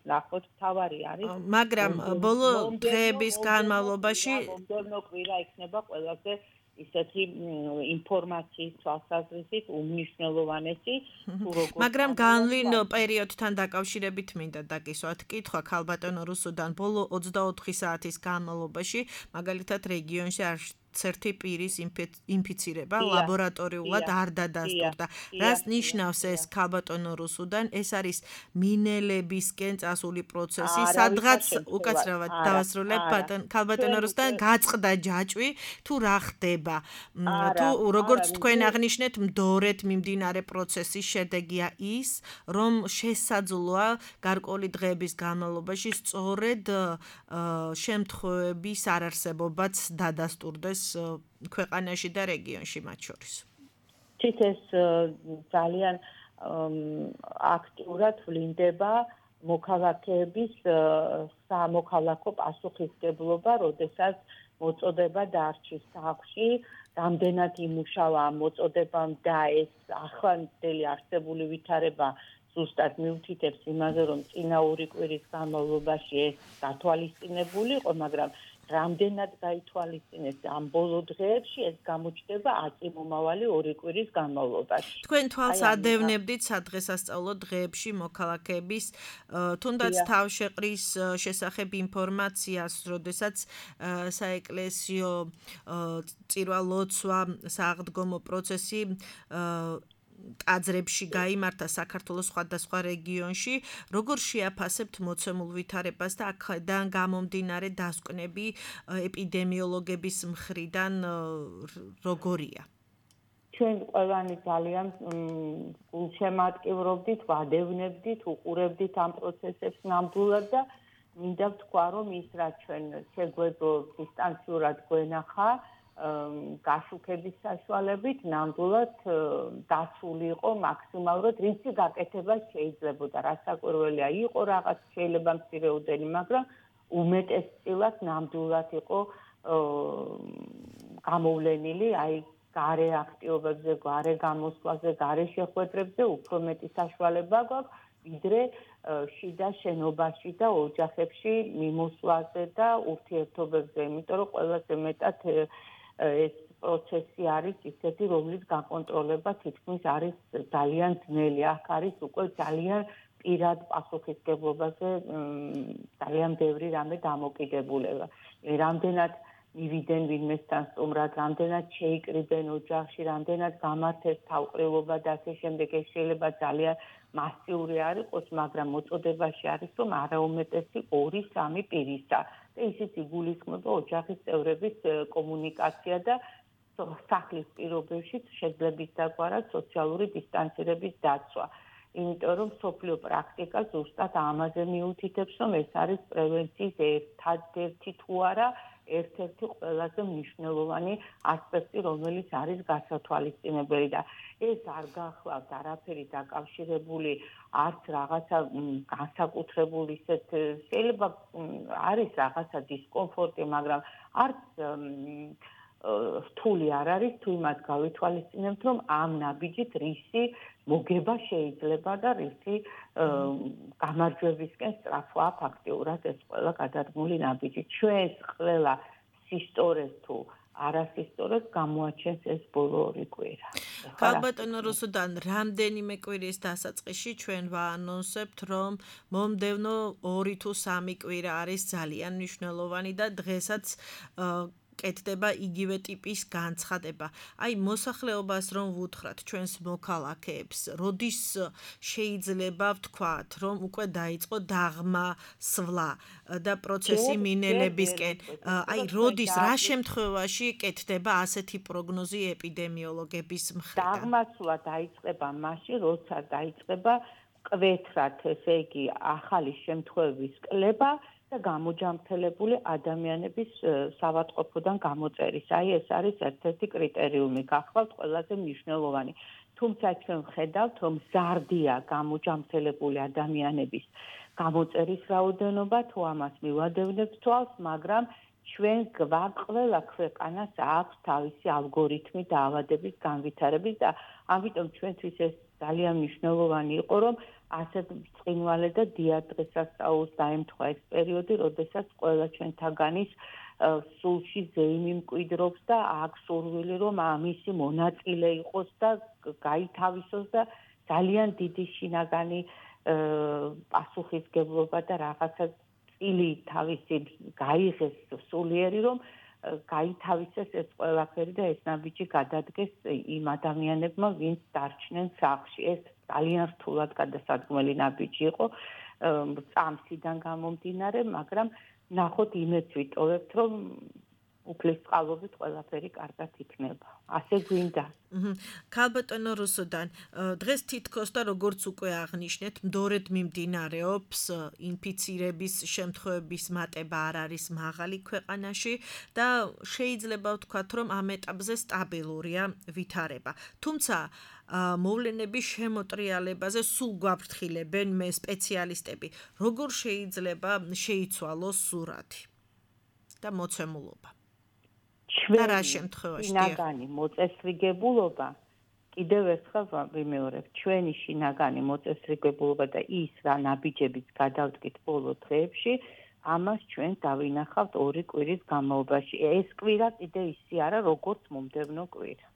ნახოთ თავარი არის. მაგრამ ბოლო დღეების განმავლობაში მომდევნო კვირა იქნება ყველაზე ისეთი ინფორმაციის თვალსაზრისით უმნიშვნელოვანესი თუ როგორ მაგრამ განვლინო პერიოდთან დაკავშირებით მინდა დაკისვათ კითხვა ქალბატონო რუსუდან ბოლო ოცდაოთხი საათის განმავლობაში მაგალითად რეგიონში არ ცერთი პირის ინფიცირება ლაბორატორიულად არ დადასტურდა. რას ნიშნავს ეს ქალბატონო რუსუდან? ეს არის მინელებისკენ წასული პროცესი, სადღაც უკაცრავად დავასრულებ ქალბატონო რუსუდან გაწყდა ჯაჭვი თუ რა ხდება? თუ როგორც თქვენ აღნიშნეთ, მდორედ მიმდინარე პროცესის შედეგია ის, რომ შესაძლოა გარკვეული დღეების განმავლობაში სწორედ შემთხვევების არარსებობაც დადასტურდეს ქვეყანაში და რეგიონში მათ შორის. ეს ძალიან აქტიურად ვლინდება მოქალაქეების სამოქალაქო პასუხისმგებლობა, როდესაც მოწოდება დარჩის სახლში, რამდენად იმუშავა ამ მოწოდებამ და ეს ახლანდელი არსებული ვითარება ზუსტად მიუთითებს იმაზე, რომ წინა ორი კვირის განმავლობაში ეს გათვალისწინებული იყო, მაგრამ რამდენად გაითვალისწინეს ამ ბოლო დღეებში, ეს გამოჩნდება აწარმოავალი ორი კვირის განმავლობაში. თქვენ თვალს ადევნებდით სადღესასწაულო დღეებში მოქალაქეების თუნდაც თავშეყრის შესახებ ინფორმაციას, როდესაც საეკლესიო წირვა-ლოცვა, სააღდგომო პროცესი ტაძრებში გაიმართა საქართველოს სხვადასხვა რეგიონში, როგორ შეაფასებთ მოცემულ ვითარებას და აქედან გამომდინარე დასკვნები ეპიდემიოლოგების მხრიდან როგორია? ჩვენ ყველანი ძალიან გულშემატკივრობდით, ვადევნებდით, უყურებდით ამ პროცესებს ნამდვილად და მინდა ვთქვა, რომ ის რაც ჩვენ შეგვეძლო დისტანციურად გვენახა, გაშუქების საშუალებით ნამდვილად დაცული იყო მაქსიმალურად, რისი გაკეთება შეიძლებოდა, რასაკვირველია იყო რაღაც შეიძლება მცირეოდენი, მაგრამ უმეტესწილად ნამდვილად იყო გამოვლენილი, აი გარე აქტივობებზე, გარე გამოსვლაზე, გარე შეხვედრებზე უფრო მეტი საშუალება გვაქვს, ვიდრე შიდა შენობაში და ოჯახებში მიმოსვლაზე და ურთიერთობებზე, იმიტომ რომ ყველაზე მეტად ეს პროცესი არის ისეთი, რომლის გაკონტროლება თითქმის არის ძალიან ძნელი. აქ არის უკვე ძალიან პირად პასუხისმგებლობაზე ძალიან ბევრი რამე დამოკიდებულება. რამდენად მივიდნენ ვინმესთან სტუმრად, რამდენად შეიკრიბენ ოჯახში, რამდენად გამართეს თავყრილობა და ასე შემდეგ, ეს შეიძლება ძალიან მასიური არ იყოს, მაგრამ მოწოდებაში არის, რომ არაუმეტესი ორი სამი პირისა და ისიც იგულისხმება ოჯახის წევრების კომუნიკაცია და სახლის პირობებში შეძლების დაგვარა სოციალური დისტანცირების დაცვა. იმიტომ რომ სოფლიო პრაქტიკა ზუსტად ამაზე მიუთითებს, რომ ეს არის პრევენციის ერთადერთი თუ არა ერთ-ერთი ყველაზე მნიშვნელოვანი ასპექტი, რომელიც არის გასათვალისწინებელი და ეს არ გახლავთ არაფერი დაკავშირებული არც რაღაცა განსაკუთრებული ისეთ შეიძლება არის რაღაცა დისკომფორტი, მაგრამ არც რთული არ არის თუ იმას გავითვალისწინებთ, რომ ამ ნაბიჯით რისი მოგება შეიძლება და რისი გამარჯვებისკენ სწრაფვაა ფაქტიურად ეს ყველა გადადგმული ნაბიჯი. ჩვენს ყველა სისტორეს თუ არასისტორეს გამოაჩენს ეს ბოლო ორი კვირა. ქალბატონო რუსუდან, რამდენიმე კვირის დასაწყისში ჩვენ ვაანონსებთ, რომ მომდევნო ორი თუ სამი კვირა არის ძალიან მნიშვნელოვანი და დღესაც კეთდება იგივე ტიპის განცხადება. აი მოსახლეობას რომ ვუთხრათ ჩვენს მოქალაქეებს, როდის შეიძლება ვთქვათ, რომ უკვე დაიწყო დაღმა სვლა და პროცესი მინელებისკენ. აი როდის, რა შემთხვევაში კეთდება ასეთი პროგნოზი ეპიდემიოლოგების მხრიდან? დაღმა სვლა დაიწყება მაშინ, როცა დაიწყება მკვეთრად, ესე იგი, ახალი შემთხვევების კლება და გამოჯამრთელებული ადამიანების სავადმყოფოდან გამოწერის. აი ეს არის ერთ-ერთი კრიტერიუმი, გახლავთ ყველაზე მნიშვნელოვანი. თუმცა ჩვენ ვხედავთ, რომ მზარდია გამოჯამრთელებული ადამიანების გამოწერის რაოდენობა, თუ ამას მივადევნებთ თვალს, მაგრამ ჩვენ გვაქვს ყველა ქვეყანას აქვს თავისი ალგორითმი დაავადების განვითარების და ამიტომ ჩვენთვის ეს ძალიან მნიშვნელოვანი იყო, რომ ასეთ ბრწყინვალე და დიად დღესასწაულს დაემთხვა ეს პერიოდი, როდესაც ყველა ჩვენთაგანის სულში ზეიმი მკვიდრობს და აქვს სურვილი, რომ ამისი მონაწილე იყოს და გაითავისოს და ძალიან დიდი შინაგანი პასუხისმგებლობა და რაღაცა წილი თავისი გაიღეს სულიერი, რომ გაითავისეს ეს ყველაფერი და ეს ნაბიჯი გადადგეს იმ ადამიანებმა, ვინც დარჩნენ სახლში. ეს ძალიან რთულად გადასადგმელი ნაბიჯი იყო წამსიდან გამომდინარე, მაგრამ ნახოთ იმედს ვიტოვებთ, რომ უფლისწყალობით ყველაფერი კარგად იქნება. ასე გვინდა. ქალბატონო რუსუდან, დღეს თითქოს და როგორც უკვე აღნიშნეთ, მდორედ მიმდინარეობს ინფიცირების შემთხვევების მატება არ არის მაღალი ქვეყანაში და შეიძლება ვთქვათ, რომ ამ ეტაპზე სტაბილურია ვითარება. თუმცა მოვლენების შემოტრიალებაზე სულ გვაფრთხილებენ მე სპეციალისტები. როგორ შეიძლება შეიცვალოს სურათი და მოცემულობა? ჩვენი შინაგანი მოწესრიგებულობა, კიდევ ერთხელ ვიმეორებ, ჩვენი შინაგანი მოწესრიგებულობა და ის რა ნაბიჯებიც გადავდგით ბოლო დღეებში, ამას ჩვენ დავინახავთ ორი კვირის განმავლობაში. ეს კვირა კიდე ისე არა, როგორც მომდევნო კვირა.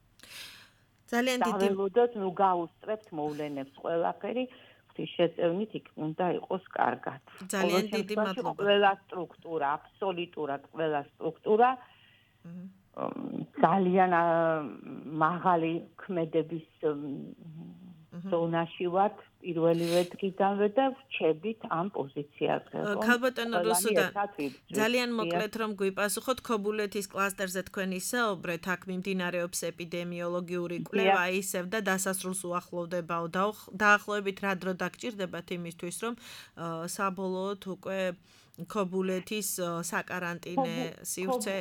ძალიან დიდი დაველოდოთ, ნუ გაუსწრებთ მოვლენებს ყველაფერი, შეწევნით იქ უნდა იყოს კარგად. ძალიან დიდი მადლობა. ყველა სტრუქტურა, აბსოლუტურად ყველა სტრუქტურა ძალიან მაღალი ქმედების ზონაში ვართ პირველივე დღიდანვე და ვრჩებით ამ პოზიციაზე. ქალბატონო რუსუდან, ძალიან მოკლედ რომ გვიპასუხოთ, ქობულეთის კლასტერზე თქვენ ისაუბრეთ, აქ მიმდინარეობს ეპიდემიოლოგიური კვლევა, ისევ და დასასრულს უახლოვდებაო. დაახლოებით რა დრო დაგჭირდებათ იმისთვის, რომ საბოლოოდ უკვე ქობულეთის საკარანტინე სივრცე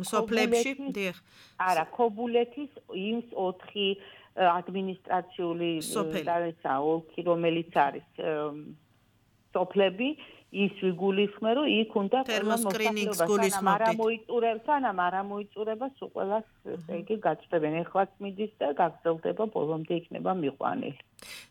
სოფლებში, დიახ. არა, ქობულეთის იმს ოთხი ადმინისტრაციული დაეცა ოლქი, რომელიც არის სოფლები, ის ვიგულისხმე, რომ იქ უნდა თერმოსკრინინგს გულისხმობთ. არა მოიწურებთ, სანამ არა მოიწურება, სულ ყველას ესე იგი გაწვევენ. ეხლაც მიდის და გაგრძელდება ბოლომდე იქნება მიყვანილი.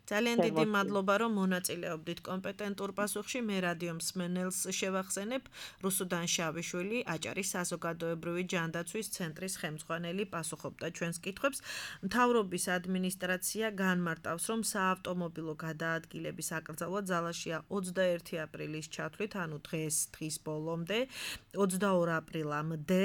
ძალიან დიდი მადლობა, რომ მონაწილეობდით კომპეტენტურ პასუხში. მე რადიო მსმენელს შევახსენებ, რუსუდან შავიშვილი, აჭარის საზოგადოებრივი ჯანდაცვის ცენტრის ხელმძღვანელი პასუხობდა ჩვენს კითხვებს. მთავრობის ადმინისტრაცია განმარტავს, რომ საავტომობილო გადაადგილების აკრძალვა ძალაშია ოცდაერთი აპრილის ჩათვლით, ანუ დღეს დღის ბოლომდე, ოცდაორი აპრილამდე,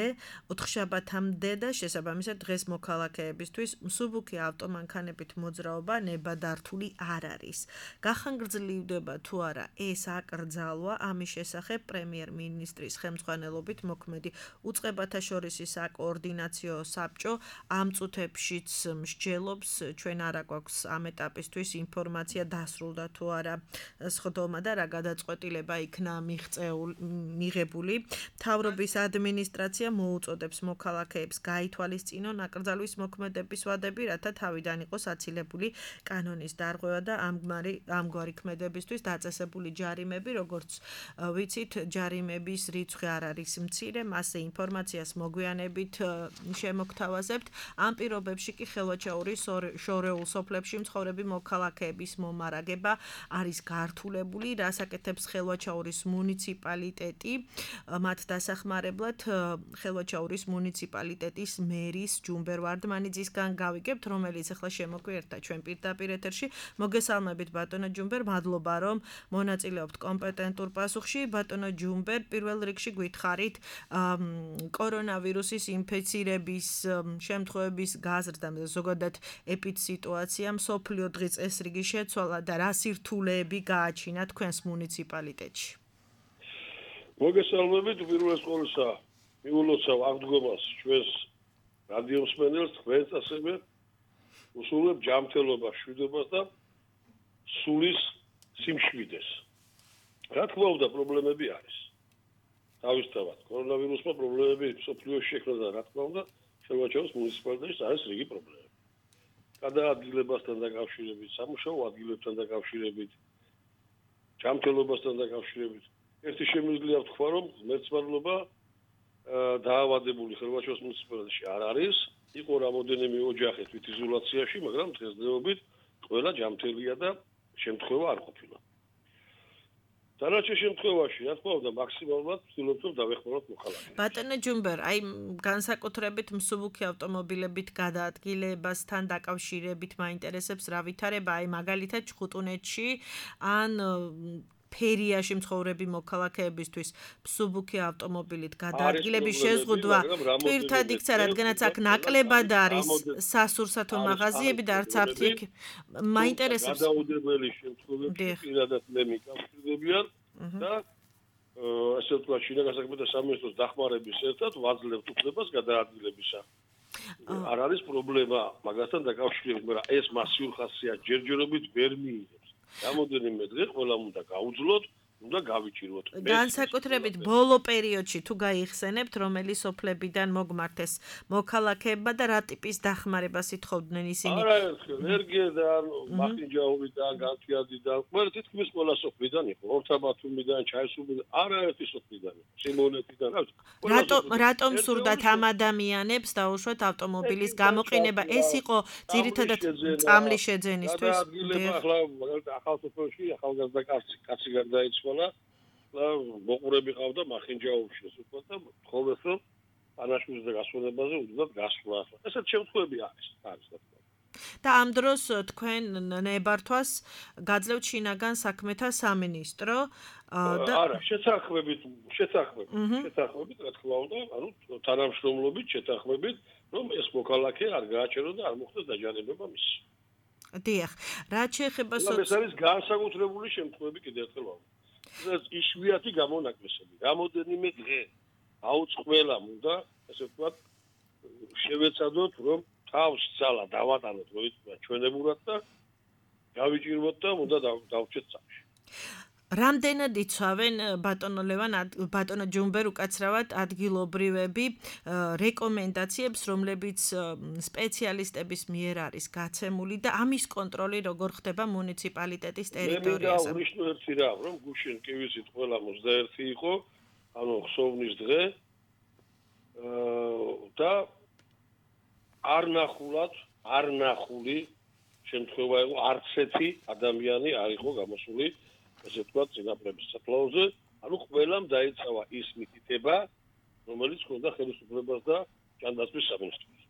ოთხშაბათამდე და შესაბამისად დღეს მოქალაქეებისთვის მსუბუქი ავტომანქანებით მოძრაობა ნებადართული არ არის. გახანგრძლივდება თუ არა ეს აკრძალვა, ამის შესახებ პრემიერ-მინისტრის ხელმძღვანელობით მოქმედი უწყებათა შორისი საკოორდინაციო საბჭო ამ წუთებშიც მსჯელობს, ჩვენ არა გვაქვს ამ ეტაპისთვის ინფორმაცია დასრულდა თუ არა სხდომა და რა გადაწყვეტილება იქნა მიღებული. მთავრობის ადმინისტრაცია მოუწოდებს მოქალაქეებს გაითვალისწინონ აკრძალვის მოქმედების ვადები, რათა თავიდან იყოს აცილებული კანონის დარღვევა და ამგვარი ქმედებისთვის დაწესებული ჯარიმები, როგორც ვიცით, ჯარიმების რიცხვი არ არის მცირე, მასზე ინფორმაციას მოგვიანებით შემოგთავაზებთ. ამ პირობებში კი ხელვაჩაურის შორეულ სოფლებში მცხოვრები მოქალაქეების მომარაგება არის გართულებული, რას აკეთებს ხელვაჩაურის მუნიციპალიტეტი. მათ დასახმარებლად ხელვაჩაურის მუნიციპალიტეტის მერის ჯუმბერ ვარდმანიძისგან გავიგებთ, რომელიც ახლა შემოგვიერთა ჩვენ პირდაპირ ეთერში. მოგესალმებით ბატონო ჯუმბერ, მადლობა რომ მონაწილეობთ კომპეტენტურ პასუხში. ბატონო ჯუმბერ, პირველ რიგში გითხარით კორონავირუსის ინფექცირების შემთხვევების გაზრდა და ზოგადად ეპიდსიტუაცია მსოფლიო დღის წესრიგი შეცვალა და რა სირთულეები გააჩინა თქვენს მუნიციპალიტეტში? მოგესალმებით, პირველ ყოვლისა მიულოცავ აღდგომას ჩვენს რადიო მსმენელს, თქვენს ასევე უსულებ ჯანმრთელობას, მშვიდობას და სულის სიმშვიდეს. რა თქმა უნდა, პრობლემები არის. თავისთავად, კორონავირუსმა პრობლემები მსოფლიოში შექმნა და რა თქმა უნდა, ხელვაჩაურის მუნიციპალიტეტში არის რიგი პრობლემები. გადაადგილებასთან დაკავშირებით, სამუშაო ადგილებთან დაკავშირებით, ჯანმრთელობასთან დაკავშირებით. ერთი შემიძლია ვთქვა, რომ ღმერთსმარლობა დაავადებული ხელვაჩაურის მუნიციპალიტეტში არ არის. იყო რამოდენიმე ოჯახი თვითიზოლაციაში, მაგრამ დღესდღეობით ყველა ჯანმრთელია და შემთხვევა არ ყოფილა. დანარჩენ შემთხვევაში, რა თქმა უნდა, მაქსიმალურად ვცდილობთ რომ დავეხმაროთ მოქალაქეებს. ბატონო ჯუმბერ, აი განსაკუთრებით მსუბუქი ავტომობილებით გადაადგილებასთან დაკავშირებით მაინტერესებს რა ვითარება, აი მაგალითად ჩხუტუნეთში ან ფერიაში მცხოვრები მოქალაქეებისთვის მსუბუქი ავტომობილით გადაადგილების შეზღუდვა პირთად იქცა, რადგანაც აქ ნაკლებად არის სასურსათო მაღაზიები და არც აფთი იქ მაინტერესებს. გადაუდებელი შემთხვევებში პირადად მე მიკავშირდებიან და ასე ვთქვათ, შინაგან საქმეთა სამინისტროს დახმარების ერთად ვაძლევთ უფლებას გადაადგილებისა. არ არის პრობლემა მაგასთან დაკავშირებით, მაგრამ ეს მასიურ ხასიათს ჯერჯერობით ვერ მიიღებს. რამოდენიმე დღე ყველამ უნდა გაუძლოთ, უნდა გავიჭიროთ. განსაკუთრებით ბოლო პერიოდში თუ გაიხსენებთ, რომელი სოფლებიდან მოგმართეს მოქალაქეებმა და რა ტიპის დახმარებას ითხოვდნენ ისინი? არაერთხელ ენერგიიდან, მახინჯაურიდან, განთიადიდან, ყველა თითქმის ყველა სოფლიდან იყო, ორთაბათუმიდან, ჩაისუბიდან, არაერთი სოფლიდან იყო, სიმონეთიდან, რა ვიცი. რატომ რატომ სურდათ ამ ადამიანებს დაუშვათ ავტომობილის გამოყენება? ეს იყო ძირითადად წამლის შეძენისთვის. ახლა ახალ სოფელში ახალგაზრდა კაცი კაცი გარდაიცვალა და მოყურები ყავდა მახინჯაურში ეს უკვე და თხოვეს რომ პანაშვილის და გასვენებაზე უძღვათ გასვლა. ესეთ შემთხვევები არის, არის რა თქმა უნდა. და ამ დროს თქვენ ნებართვას გაძლევთ შინაგან საქმეთა სამინისტრო და არა, შეთანხმებით, შეთანხმებით, შეთანხმებით რა თქმა უნდა, ანუ თანამშრომლობით შეთანხმებით, რომ ეს მოქალაქე არ გააჩერო და არ მოხდეს დაჯანებება მის. დიახ, რაც შეეხება ეს არის განსაკუთრებული შემთხვევები კიდევ ერთხელ ვამბობ. ეს იშვიათი გამონაკლისები. რამოდენიმე დღე აუც ყველამ უნდა, ესე ვთქვათ, შევეცადოთ, რომ თავს ძალა დავატანოთ როიტყვია ჩვენებურად და გავიჭიროთ და უნდა დავჭეთ წამში. რამდენად იცავენ ბატონო ლევან ბატონო ჯუმბერ უკაცრავად ადგილობრივები რეკომენდაციებს, რომლებიც სპეციალისტების მიერ არის გაცემული და ამის კონტროლი როგორ ხდება მუნიციპალიტეტის ტერიტორიაზე? მე მინდა ერთი რამ, რომ გუშინ კი ვიცით ყველა ოცდაერთი იყო, ანუ ხსოვნის დღე და არ ნახულად, არ ნახული შემთხვევა იყო, არც ერთი ადამიანი არ იყო გამოსული, ესე ვთქვათ, წინაპრების საფლავზე, ანუ ყველამ დაიცავა ის მითითება, რომელიც ჰქონდა ხელისუფლებას და ჯანდაცვის სამინისტროს.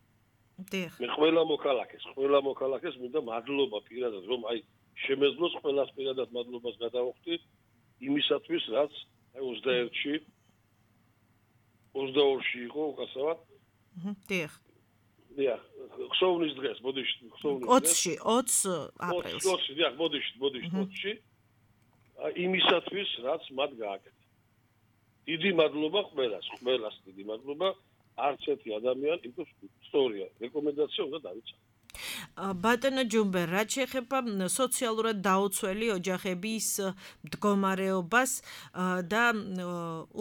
დიახ. მე ყველა მოქალაქეს, ყველა მოქალაქეს მინდა მადლობა პირადად, რომ აი შემეძლოს ყველას პირადად მადლობას გადავხდი იმისათვის, რაც აი ოცდაერთში ოცდაორში იყო უკაცრავად. დიახ. დიახ, ხსოვნის დღეს, ბოდიში, ხსოვნის დღეს. ოცში, ოც აპრილს. ოცში, დიახ, ბოდიში, ბოდიში, ოცში. იმისათვის, რაც მათ გააკეთა. დიდი მადლობა ყველას, ყველას დიდი მადლობა. არც ერთი ადამიანი, იმიტომ ისტორია, რეკომენდაცია უნდა დავიცავ. ბატონო ჯუმბერ, რაც შეეხება სოციალურად დაუცველი ოჯახების მდგომარეობას და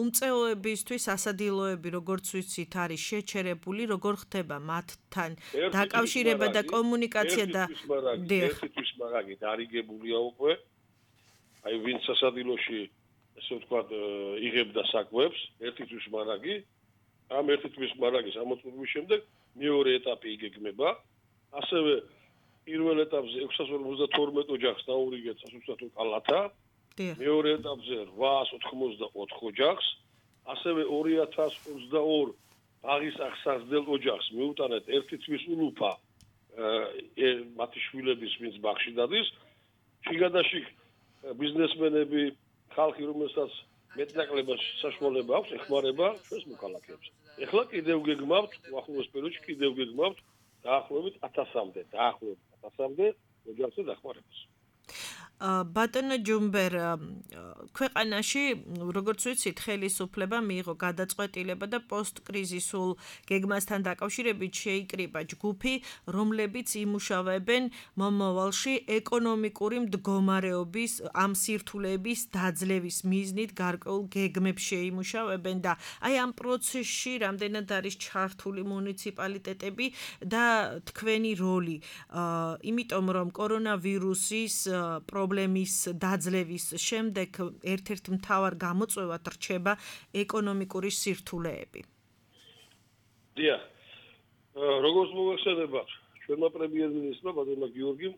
უმწეოებისთვის ასადილოები, როგორც ვიცით, არის შეჩერებული, როგორ ხდება მათთან დაკავშირება და კომუნიკაცია და ერთი თვის მარაგი დარიგებულია უკვე. აი ვინც სასადილოში, ესე ვთქვათ, იღებდა საკვებს, ერთი თვის მარაგი, ამ ერთი თვის მარაგის ამოწურვის შემდეგ მეორე ეტაპი იგეგმება. ასევე პირველ ეტაპზე ექვსას ორმოცდათორმეტ ოჯახს დაურიგეთ სასუცათო კალათა. მეორე ეტაპზე რვაას ოთხმოცდაოთხ ოჯახს, ასევე ორი ათას ოცდაორი ბაღის აღსაზრდელ ოჯახს მიუტანეთ ერთი თვის ულუფა მათი შვილების ვინც ბაღში დადის. შიგადაშიგ ბიზნესმენები, ხალხი, რომელსაც მეტნაკლებას საშუალება აქვს, ეხმარება ჩვენს მოქალაქეებს. ეხლა კიდევ გეგმავთ, უახლოეს პერიოდში კიდევ გეგმავთ დაახლოებით ათასამდე, დაახლოებით ათასამდე ოჯახზე დახმარებას. ბატონო ჯუმბერ, ქვეყანაში, როგორც ვიცით, ხელისუფლება მიიღო გადაწყვეტილება და პოსტკრიზისულ გეგმასთან დაკავშირებით შეიკრიბა ჯგუფი, რომლებიც იმუშავებენ მომავალში ეკონომიკური მდგომარეობის ამ სირთულეების დაძლევის მიზნით გარკვეულ გეგმებს შეიმუშავებენ და აი ამ პროცესში რამდენად არის ჩართული მუნიციპალიტეტები და თქვენი როლი, იმიტომ რომ კორონავირუსის პრობლემის დაძლევის შემდეგ ერთ-ერთ მთავარ გამოწვევად რჩება ეკონომიკური სირთულეები. დიახ. როგორც მოგახსენებათ, ჩვენმა პრემიერ-მინისტრმა ბატონმა გიორგიმ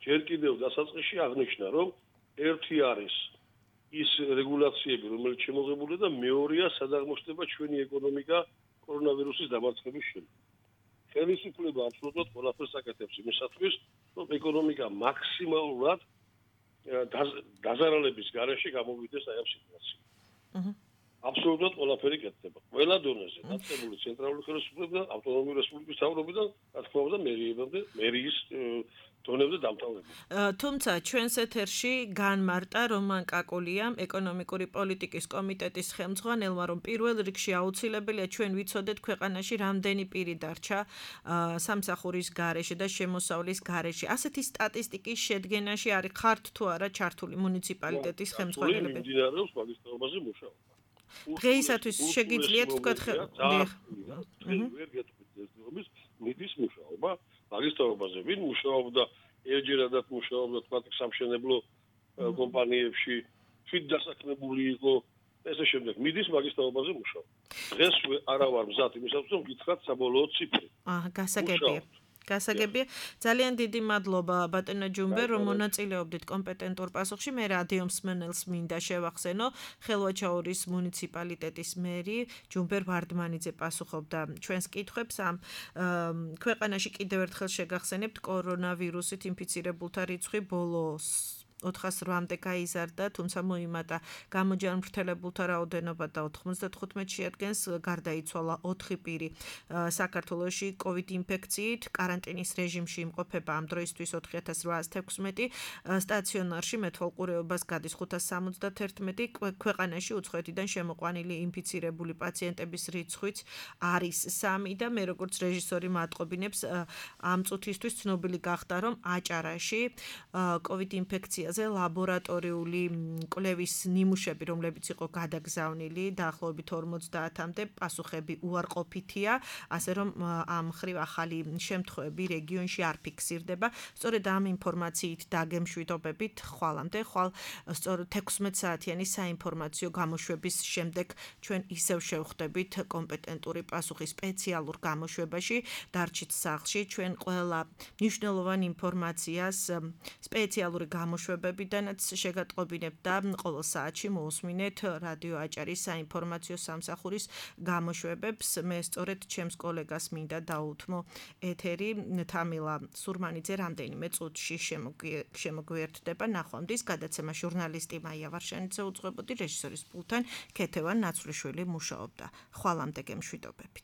ჯერ კიდევ დასაწყისში აღნიშნა, რომ ერთი არის ის რეგულაციები, რომელიც შემოღებულია და მეორეა სადაღმოჩნდება ჩვენი ეკონომიკა კორონავირუსის დამარცხების შემდეგ. ხელისუფლება აბსოლუტურად ყველაფერს აკეთებს იმისათვის, რომ ეკონომიკა მაქსიმალურად დაზარალების გარეშე გამოვიდეს აი ამ სიტუაციიდან. აბსოლუტურად ყველაფერი კეთდება. ყველა დონეზე, დაწყებული ცენტრალური ხელისუფლებიდან, ავტონომიური რესპუბლიკის მთავრობიდან, რა თქმა უნდა, მერიებამდე, მერიის დონეზე დამთავრებული. თუმცა ჩვენს ეთერში განმარტა რომან კაკულიამ, ეკონომიკური პოლიტიკის კომიტეტის ხელმძღვანელმა, რომ პირველ რიგში აუცილებელია ჩვენ ვიცოდეთ ქვეყანაში რამდენი პირი დარჩა სამსახურის გარეშე და შემოსავლის გარეშე. ასეთი სტატისტიკის შედგენაში არის ხართ თუ არა ჩართული მუნიციპალიტეტის ხელმძღვანელები? მიმდინარეობს მაგის თაობაზე მუშაობა. დღეისათვის შეგიძლიათ თქვათ მიდის მუშაობა მაგის თაობაზე. ვინ მუშაობდა ერთჯერადად მუშაობდა თქვათ სამშენებლო კომპანიებში, თვით დასაქმებული იყო ესე შემდეგ. მიდის მაგის თაობაზე მუშაობა. დღეს არა ვარ მზად იმისათვის, რომ გითხრათ საბოლოო ციფრი. აჰა, გასაგებია. გასაგებია. ძალიან დიდი მადლობა ბატონო ჯუმბე, რომ მონაწილეობდით კომპეტენტურ პასუხში. მე რადიო მსმენელს მინდა შევახსენო, ხელვაჩაურის მუნიციპალიტეტის მერი ჯუმბერ ვარდმანიძე პასუხობდა ჩვენს კითხვებს. ამ ქვეყანაში კიდევ ერთხელ შეგახსენებთ, კორონავირუსით ინფიცირებულთა რიცხვი ბოლოს ოთხას რვამდე გაიზარდა, თუმცა მოიმატა გამოჯანმრთელებულთა რაოდენობა და ოთხმოცდათხუთმეტ შეადგენს, გარდაიცვალა ოთხი პირი საქართველოში COVID ინფექციით, კარანტინის რეჟიმში იმყოფება ამ დროისთვის ოთხი ათას რვაას თექვსმეტი, სტაციონარში მეთვალყურეობას გადის ხუთას სამოცდათერთმეტი, ქვეყანაში უცხოეთიდან შემოყვანილი ინფიცირებული პაციენტების რიცხვიც არის სამი და მე როგორც რეჟისორი მატყობინებს ამ წუთისთვის ცნობილი გახდა, რომ აჭარაში COVID ინფექცია ლაბორატორიული კვლევის ნიმუშები, რომლებიც იყო გადაგზავნილი დაახლოებით ორმოცდაათამდე, პასუხები უარყოფითია, ასე რომ ამ ხრივ ახალი შემთხვევები რეგიონში არ ფიქსირდება. სწორედ ამ ინფორმაციით დაგემშვიდობებით ხვალამდე, ხვალ სწორედ თექვსმეტ საათიანი საინფორმაციო გამოშვების შემდეგ ჩვენ ისევ შევხვდებით კომპეტენტური პასუხის სპეციალურ გამოშვებაში, დარჩით სახლში, ჩვენ ყველა მნიშვნელოვან ინფორმაციას სპეციალური გამოშვება ბებიდანაც შეგატყობინებთ და ყოველ საათში მოусმინეთ რადიო აჭარის საინფორმაციო სამსახურის გამოშვებებს. მე სწორედ ჩემს კოლეგას მინდა დაუთმო ეთერი. თამილა სურმანიძე რამდენიმე წუთში შემოგვიერთდება. ნახვამდის გადაცემა ჟურნალისტი მაია ვარშანიძე უძღვებოდი, რეჟისორის პულტთან ქეთევან ნაცვლიშვილი მუშაობდა. ხვალამდე გემშვიდობებით.